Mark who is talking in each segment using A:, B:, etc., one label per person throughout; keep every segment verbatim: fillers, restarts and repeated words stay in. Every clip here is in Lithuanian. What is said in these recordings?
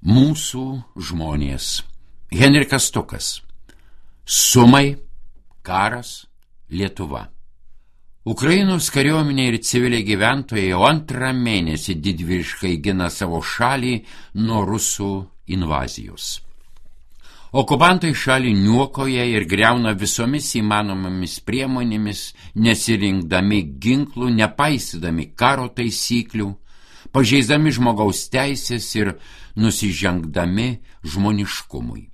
A: Mūsų žmonės. Henrikas Stukas. Sumai, karas, Lietuva. Ukrainos kariuomenė ir civiliai gyventojai jau antrą mėnesį didvyriškai gina savo šalį nuo rusų invazijos. Okupantai šalį niukoja ir griauna visomis įmanomomis priemonėmis, nesirinkdami ginklų, nepaisydami karo taisyklių, pažeisdami žmogaus teisės ir nusižengdami žmoniškumui.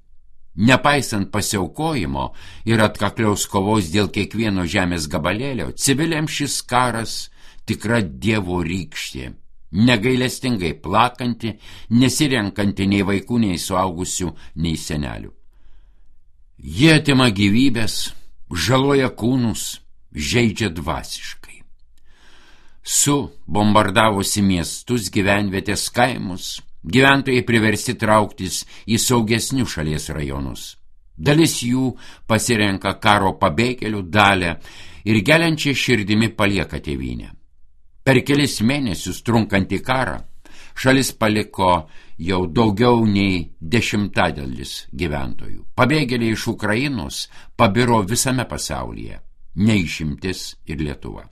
A: Nepaisant pasiaukojimo ir atkakliaus kovos dėl kiekvieno žemės gabalėlio, civiliams šis karas tikra dievo rykštė, negailestingai plakanti, nesirenkanti nei vaikų, nei suaugusių, nei senelių. Jie atima gyvybės, žaloja kūnus, žeidžia dvasiškai. Su bombardavusi miestus, gyvenvietės, kaimus, gyventojai priversti trauktis į saugesnius šalies rajonus. Dalis jų pasirenka karo pabėgėlių dalią ir geliančia širdimi palieka tėvynę. Per kelis mėnesius trunkantį karą šalis paliko jau daugiau nei dešimtadalis gyventojų. Pabėgėliai iš Ukrainos pabiro visame pasaulyje, neišimtis ir Lietuva.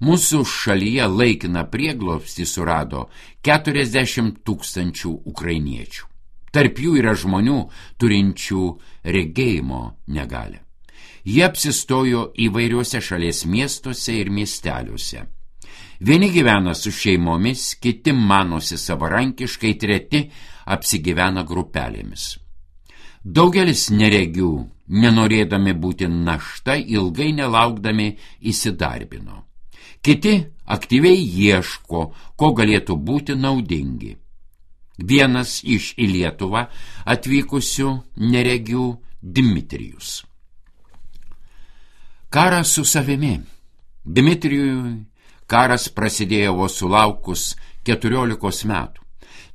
A: Mūsų šalyje laikiną prieglobstį surado keturiasdešimt tūkstančių ukrainiečių. Tarp jų yra žmonių turinčių regėjimo negalią. Jie apsistojo įvairiuose šalies miestuose ir miesteliuose. Vieni gyvena su šeimomis, kiti manosi savarankiškai, treti apsigyvena grupelėmis. Daugelis neregių, nenorėdami būti našta, ilgai nelaukdami įsidarbino. Kiti aktyviai ieško, ko galėtų būti naudingi. Vienas iš į Lietuvą atvykusių neregių Dmitrijus. Karas su savimi. Dmitrijui karas prasidėjo vos sulaukus keturiolikos metų.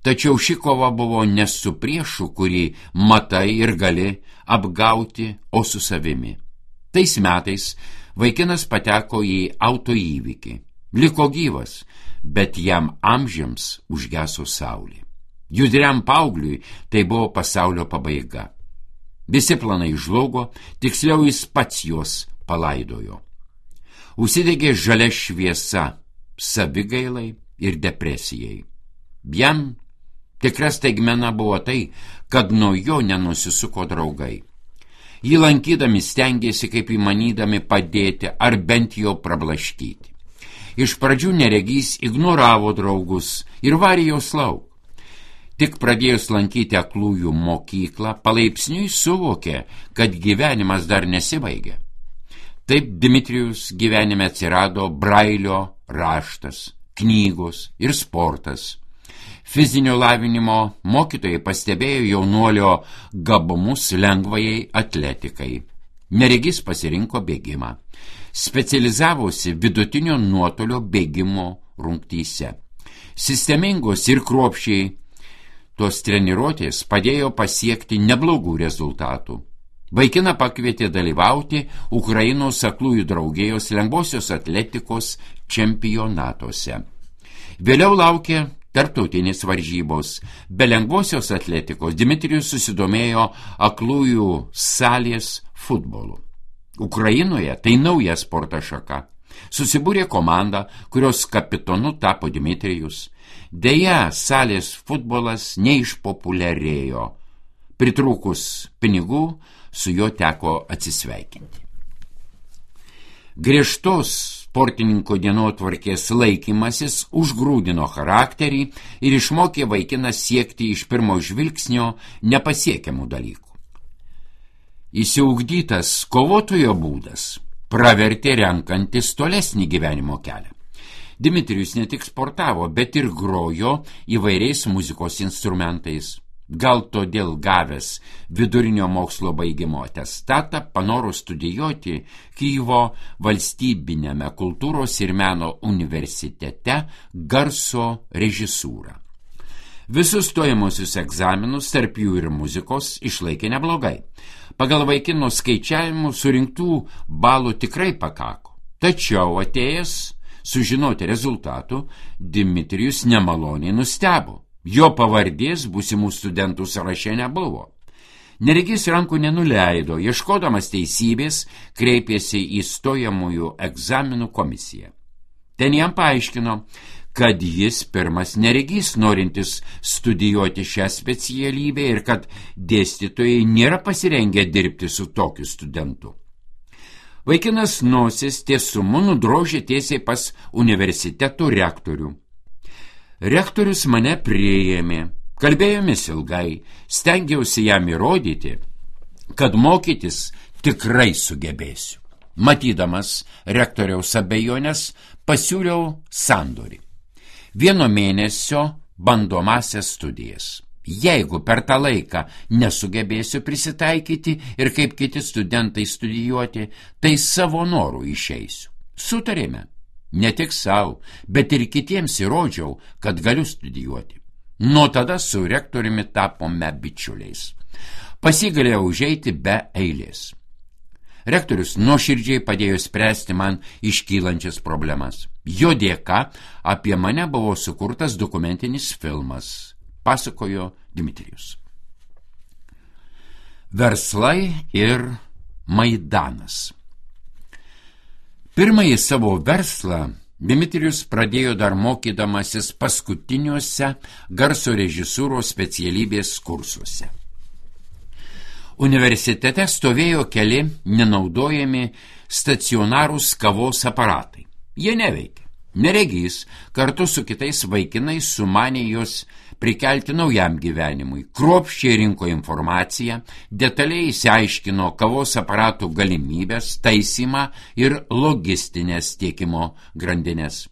A: Tačiau ši kova buvo ne su priešu, kurį matai ir gali apgauti, o su savimi. Tais metais vaikinas pateko į autoįvykį. Liko gyvas, bet jam amžiams užgeso saulė. Judriam paaugliui tai buvo pasaulio pabaiga. Visi planai žlugo, tiksliau jis pats juos palaidojo. Užsidegė žalia šviesa savigailai ir depresijai. Jam tikra staigmena buvo tai, kad nuo jo nenusisuko draugai. Jį lankydami stengėsi kaip įmanydami padėti ar bent jo prablaškyti. Iš pradžių neregys ignoravo draugus ir varė jos lauk. Tik pradėjus lankyti aklųjų mokyklą, palaipsniui suvokė, kad gyvenimas dar nesibaigia. Taip Dmitrijus gyvenime atsirado brailio raštas, knygos ir sportas. Fizinio lavinimo mokytojai pastebėjo jaunuolio gabumus lengvajai atletikai. Neregys pasirinko bėgimą. Specializavosi vidutinio nuotolio bėgimo rungtyse. Sistemingos ir kruopščiai tos treniruotės padėjo pasiekti neblogų rezultatų. Vaikiną pakvietė dalyvauti Ukrainos aklųjų draugijos lengvosios atletikos čempionatuose. Vėliau laukė tarptautinės varžybos. Be lengvosios atletikos Dmitrijus susidomėjo aklųjų salės futbolu. Ukrainoje tai nauja sporto šaka. Susibūrė komanda, kurios kapitonu tapo Dmitrijus. Deja, salės futbolas neišpopuliarėjo. Pritrūkus pinigų, su juo teko atsisveikinti. Griežtos sportininko dienotvarkės laikymasis užgrūdino charakterį ir išmokė vaikiną siekti iš pirmo žvilgsnio nepasiekiamų dalykų. Įsiugdytas kovotojo būdas pravertė renkantis tolesnį gyvenimo kelią. Dmitrijus ne tik sportavo, bet ir grojo įvairiais muzikos instrumentais. Gal todėl gavęs vidurinio mokslo baigimo atestatą panoro studijuoti Kyjivo valstybinėme kultūros ir meno universitete garso režisūrą. Visus stojamosius egzaminus, tarp jų ir muzikos, išlaikė neblogai. Pagal vaikino skaičiavimų surinktų balų tikrai pakako. Tačiau atėjęs sužinoti rezultatų, Dmitrijus nemaloniai nustebo. Jo pavardės būsimų studentų sąraše nebuvo. Neregys rankų nenuleido, ieškodamas teisybės, kreipėsi į stojamųjų egzaminų komisiją. Ten jam paaiškino, kad jis pirmas neregys norintis studijuoti šią specialybę ir kad dėstytojai nėra pasirengę dirbti su tokiu studentu. Vaikinas nosis tiesumu nudrožė tiesiai pas universiteto rektorių. Rektorius mane priėmė. Kalbėjomis ilgai, stengiausi jam įrodyti, kad mokytis tikrai sugebėsiu. Matydamas rektoriaus abejonės, pasiūliau sandorį. Vieno mėnesio bandomasias studijas. Jeigu per tą laiką nesugebėsiu prisitaikyti ir kaip kiti studentai studijuoti, tai savo norų išeisiu. Sutarėme. Ne tik savo, bet ir kitiems įrodžiau, kad galiu studijuoti. Nuo tada su rektoriumi tapome bičiuliais. Pasigalėjau užeiti be eilės. Rektorius nuoširdžiai padėjo spręsti man iškylančias problemas. Jo dėka apie mane buvo sukurtas dokumentinis filmas, pasakojo Dmitrijus. Verslai ir Maidanas. Pirmąjį savo verslą Dmitrijus pradėjo dar mokydamasis paskutiniuose garso režisūros specialybės kursuose. Universitete stovėjo keli nenaudojami stacionarūs kavos aparatai. Jie neveikė. Neregys kartu su kitais vaikinais sumanė juos prikelti naujam gyvenimui. Kruopščiai rinko informaciją, detaliai išsiaiškino kavos aparatų galimybės, taisymą ir logistinės tiekimo grandinės.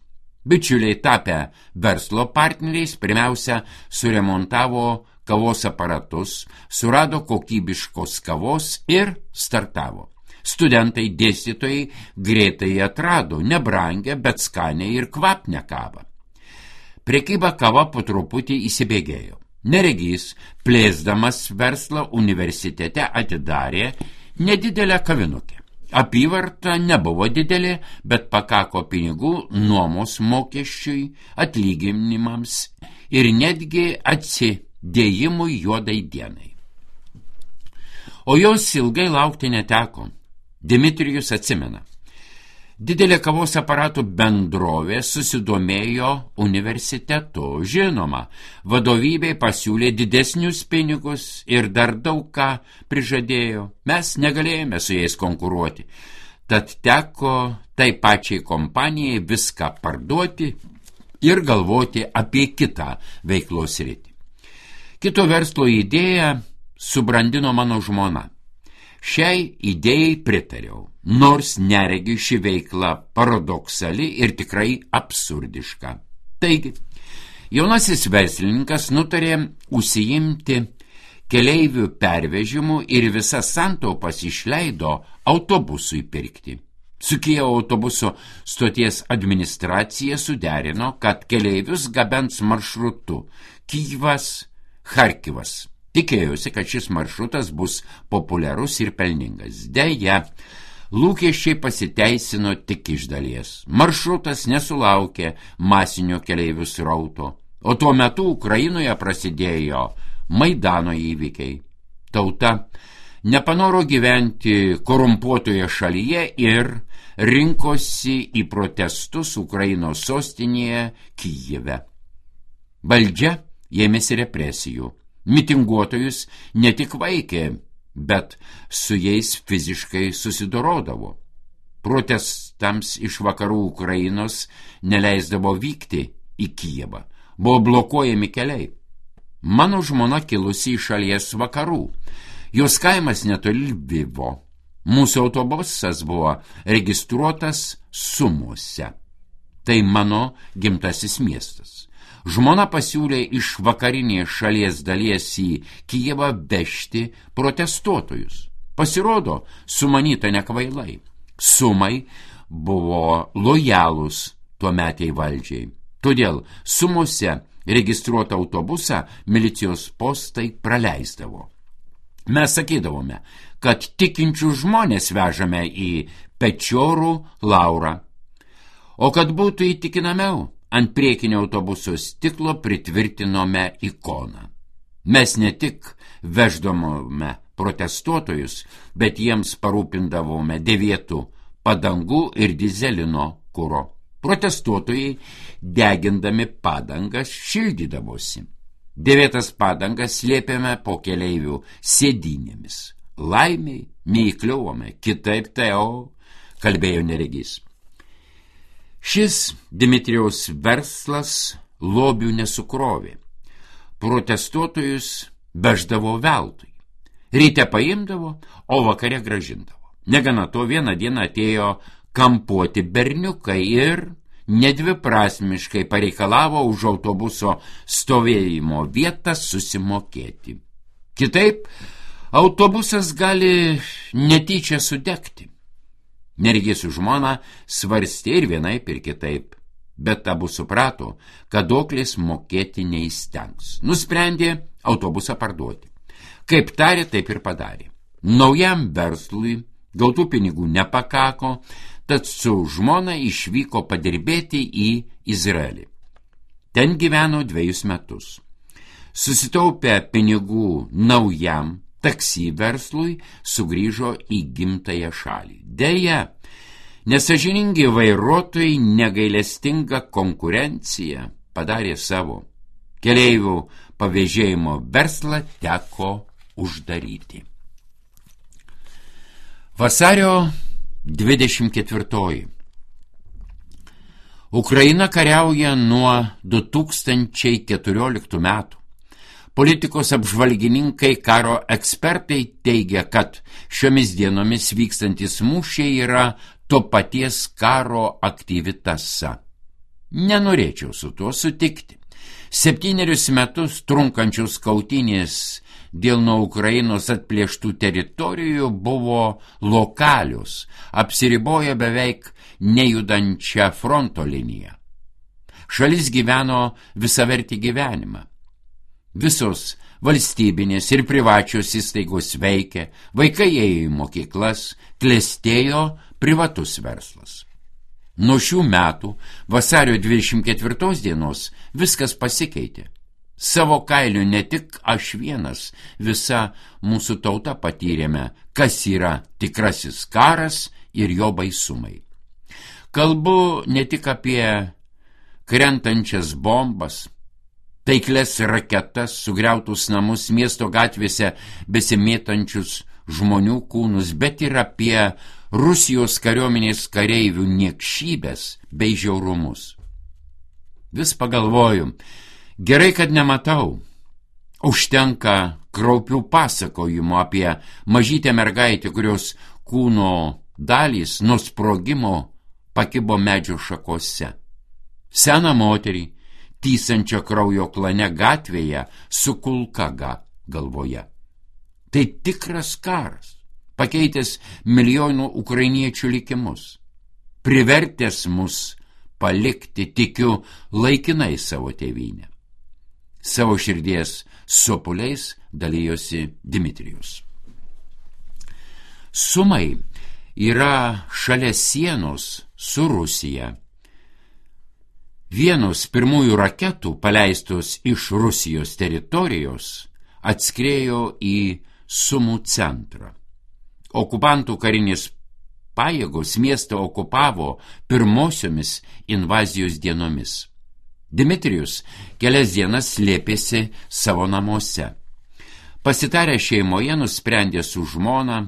A: Bičiuliai tapę verslo partneriais pirmiausia suremontavo kavos aparatus, surado kokybiškos kavos ir startavo. Studentai, dėstytojai greitai atrado nebrangę, bet skanią ir kvapnią kavą. Prekyba kava po truputį įsibėgėjo. Neregys, plėsdamas verslą universitete, atidarė nedidelę kavinukę. Apyvarta nebuvo didelė, bet pakako pinigų nuomos mokesčiui, atlyginimams ir netgi atsidėjimui juodai dienai. O jos ilgai laukti neteko. Dmitrijus atsimena. Didelė kavos aparatų bendrovė susidomėjo universitetu. Žinoma, vadovybei pasiūlė didesnius pinigus ir dar daug ką prižadėjo. Mes negalėjome su jais konkuruoti. Tad teko tai pačiai kompanijai viską parduoti ir galvoti apie kitą veiklos sritį. Kito verslo idėją subrandino mano žmona. Šiai idėjai pritariau, nors neregiu ši veikla paradoksali ir tikrai absurdiška. Taigi, jaunasis verslininkas nutarė užsiimti keleivių pervežimu ir visas santaupas išleido autobusui pirkti. Su Kijevo autobuso stoties administracija suderino, kad keleivius gabens maršrutu Kijevas-Charkivas. Tikėjosi, kad šis maršrutas bus populiarus ir pelningas. Deja, lūkesčiai pasiteisino tik iš dalies. Maršrutas nesulaukė masinio keleivių srauto, o tuo metu Ukrainoje prasidėjo Maidano įvykiai. Tauta nepanoro gyventi korumpuotoje šalyje ir rinkosi į protestus Ukrainos sostinėje Kijeve. Valdžia ėmėsi represijų. Mitinguotojus ne tik vaikė, bet su jais fiziškai susidorodavo. Protestams iš vakarų Ukrainos neleisdavo vykti į Kijevą. Buvo blokuojami keliai. Mano žmona kilusi iš šalies vakarų. Jos kaimas netoli Lvivo. Mūsų autobusas buvo registruotas Sumuose. Tai mano gimtasis miestas. Žmona pasiūlė iš vakarinės šalies dalies į Kijevą vežti protestuotojus. Pasirodo, sumanyta nekvailai. Sumai buvo lojalūs tuometiai valdžiai. Todėl Sumuose registruotą autobusą milicijos postai praleisdavo. Mes sakydavome, kad tikinčių žmonės vežame į Pečiorų Laurą. O kad būtų įtikinamiau, ant priekinio autobuso stiklo pritvirtinome ikoną. Mes ne tik veždavome protestuotojus, bet jiems parūpindavome dėvėtų padangų ir dizelino kuro. Protestuotojai, degindami padangas, šildydavosi. Dėvėtas padangas slėpėme po keleivių sėdynėmis. Laimiai neįkliuvome, kitaip tai o, kalbėjo neregys. Šis Dimitrijaus verslas lobių nesukrovė. Protestuotojus veždavo veltui. Ryte paimdavo, o vakare gražindavo. Negana to, vieną dieną atėjo kampuoti berniukai ir nedviprasmiškai pareikalavo už autobuso stovėjimo vietą susimokėti. Kitaip, autobusas gali netyčia sudegti. Neregys su žmona svarstė ir vienaip ir kitaip, bet abu suprato, kad doklis mokėti neįstengs. Nusprendė autobusą parduoti. Kaip tarė, taip ir padarė. Naujam verslui gautų pinigų nepakako, tad su žmona išvyko padirbėti į Izraelį. Ten gyveno dviejus metus. Susitaupę pinigų naujam taksi verslui, sugrįžo į gimtąją šalį. Deja, nesąžiningi vairuotojai negailestinga konkurencija padarė savo. Keleivių pavėžėjimo verslą teko uždaryti. Vasario dvidešimt ketvirtoji. Ukraina kariauja nuo du tūkstančiai keturioliktų metų. Politikos apžvalgininkai, karo ekspertai teigia, kad šiomis dienomis vykstantis mūšiai yra to paties karo aktyvi tąsa. Nenorėčiau su tuo sutikti. Septynerius metus trunkančios kautynės dėl nuo Ukrainos atplėštų teritorijų buvo lokalius, apsiribojo beveik nejudančią fronto liniją. Šalis gyveno visavertį gyvenimą. Visos valstybinės ir privačios įstaigos veikė, vaikai ėjo į mokyklas, klestėjo privatus verslas. Nuo šių metų, vasario dvidešimt ketvirtos dienos, viskas pasikeitė. Savo kailiu ne tik aš vienas, visa mūsų tauta patyrėme, kas yra tikrasis karas ir jo baisumai. Kalbu ne tik apie krentančias bombas, taikles raketas, sugriautus namus, miesto gatvėse besimėtančius žmonių kūnus, bet ir apie Rusijos kariuomenės kareivių niekšybės bei žiaurumus. Vis pagalvoju, gerai, kad nematau. Užtenka kraupių pasakojimų apie mažytę mergaitę, kurios kūno dalys nuo sprogimo pakibo medžio šakose. Seną moterį, tysančią kraujo klane gatvėje su kulka galvoje. Tai tikras karas, pakeitęs milijonų ukrainiečių likimus, privertęs mus palikti, tikiu, laikinai savo tėvynę. Savo širdies sopuliais dalijosi Dmitrijus. Sumai yra šalia sienos su Rusija. Vienos pirmųjų raketų, paleistos iš Rusijos teritorijos, atskriejo į Sumų centrą. Okupantų karinės pajėgos miestą okupavo pirmosiomis invazijos dienomis. Dmitrijus kelias dienas slėpėsi savo namuose. Pasitarę šeimoje nusprendė su žmona,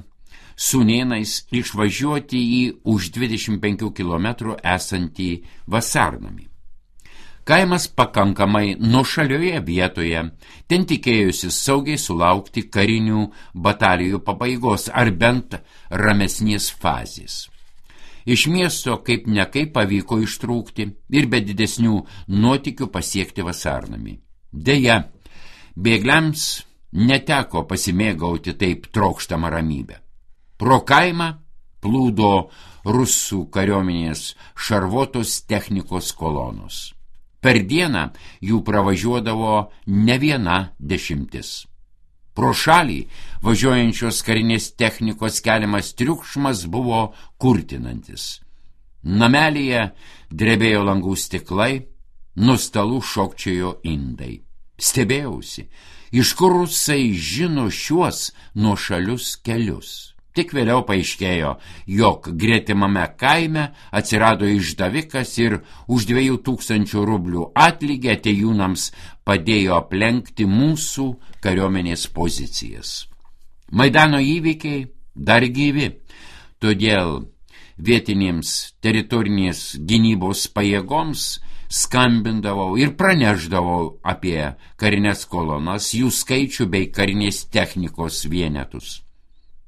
A: sūnėnais išvažiuoti į už dvidešimt penkių kilometrų esantį vasarnamį. Kaimas pakankamai nuošalioje vietoje, ten tikėjusi saugiai sulaukti karinių batalijų pabaigos ar bent ramesnės fazės. Iš miesto kaip nekaip pavyko ištrūkti ir be didesnių nuotykių pasiekti vasarnamį. Deja, bėgliams neteko pasimėgauti taip trokštamą ramybę. Pro kaimą plūdo rusų kariuomenės šarvuotos technikos kolonos. Per dieną jų pravažiuodavo ne viena dešimtis. Pro šalį važiuojančios karinės technikos keliamas triukšmas buvo kurtinantis. Namelyje drebėjo langų stiklai, nuo stalų šokčiojo indai. Stebėjausi, iš kur rusai žino šiuos nuošalius kelius. Tik vėliau paaiškėjo, jog gretimame kaime atsirado išdavikas ir už dviejų tūkstančių rublių atlygį atėjūnams padėjo aplenkti mūsų kariuomenės pozicijas. Maidano įvykiai dar gyvi, todėl vietinėms teritorinės gynybos pajėgoms skambindavau ir praneždavau apie karinės kolonas, jų skaičių bei karinės technikos vienetus.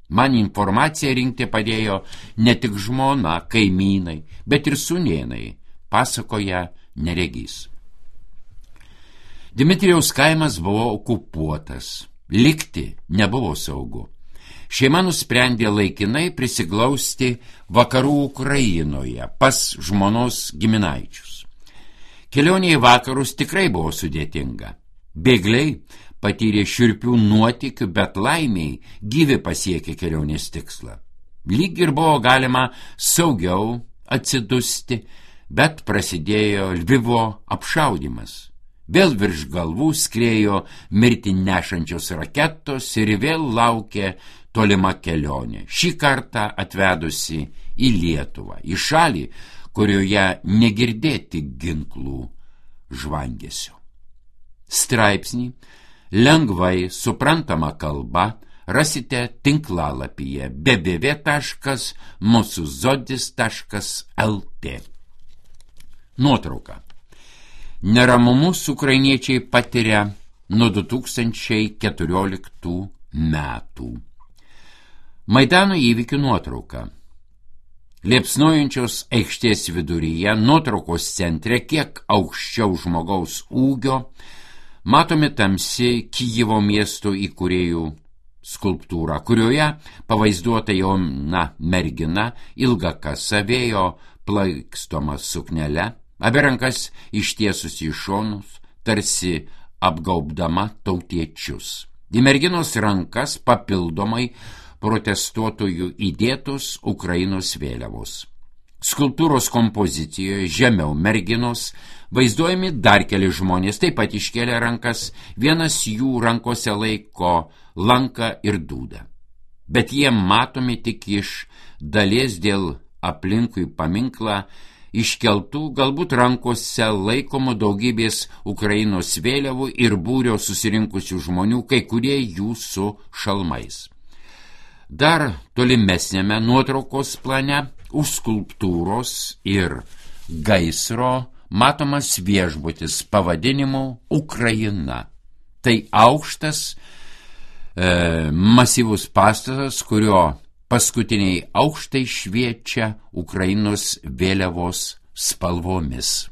A: Man informaciją rinkti padėjo ne tik žmona, kaimynai, bet ir sūnėnai, pasakoja neregys. Dmitrijaus kaimas buvo okupuotas, likti nebuvo saugu. Šeima nusprendė laikinai prisiglausti vakarų Ukrainoje pas žmonos giminaičius. Kelionė į vakarus tikrai buvo sudėtinga. Bėgliai patyrė šiurpių nuotykių, bet laimiai gyvi pasiekė kelionės tikslą. Lyg ir buvo galima saugiau atsidusti, bet prasidėjo Lvivo apšaudymas. Vėl virš galvų skriejo mirtį nešančios raketos ir vėl laukė tolima kelionė, šį kartą atvedusi į Lietuvą, į šalį, kurioje negirdėti ginklų žvangesio. Straipsnį lengvai suprantama kalba rasite tinklalapyje w w w taškas mūsų zodis taškas l t. Nuotrauka. Neramumus ukrainiečiai patiria nuo du tūkstančiai keturioliktų metų. Maidano įvykių nuotrauka. Liepsnojančios aikštės viduryje, nuotraukos centre, kiek aukščiau žmogaus ūgio, matomi tamsi Kijevo miesto įkūrėjų skulptūra, kurioje pavaizduota jauna mergina, ilga kasa, vėjo plaikstoma suknele, abi rankas ištiesusi į šonus, tarsi apgaubdama tautiečius. Į merginos rankas papildomai protestuotojų įdėtos Ukrainos vėliavos. Skulptūros kompozicijoje žemiau merginos vaizduojami dar keli žmonės, taip pat iškėlė rankas, vienas jų rankose laiko lanką ir dūdą. Bet jie matomi tik iš dalies dėl aplinkui paminklą iškeltų, galbūt rankose laikomų daugybės Ukrainos vėliavų ir būrio susirinkusių žmonių, kai kurie jų su šalmais. Dar tolimesnėme nuotraukos plane už skulptūros ir gaisro matomas viešbutis pavadinimu Ukraina. Tai aukštas, e, masyvus pastatas, kurio paskutiniai aukštai šviečia Ukrainos vėliavos spalvomis.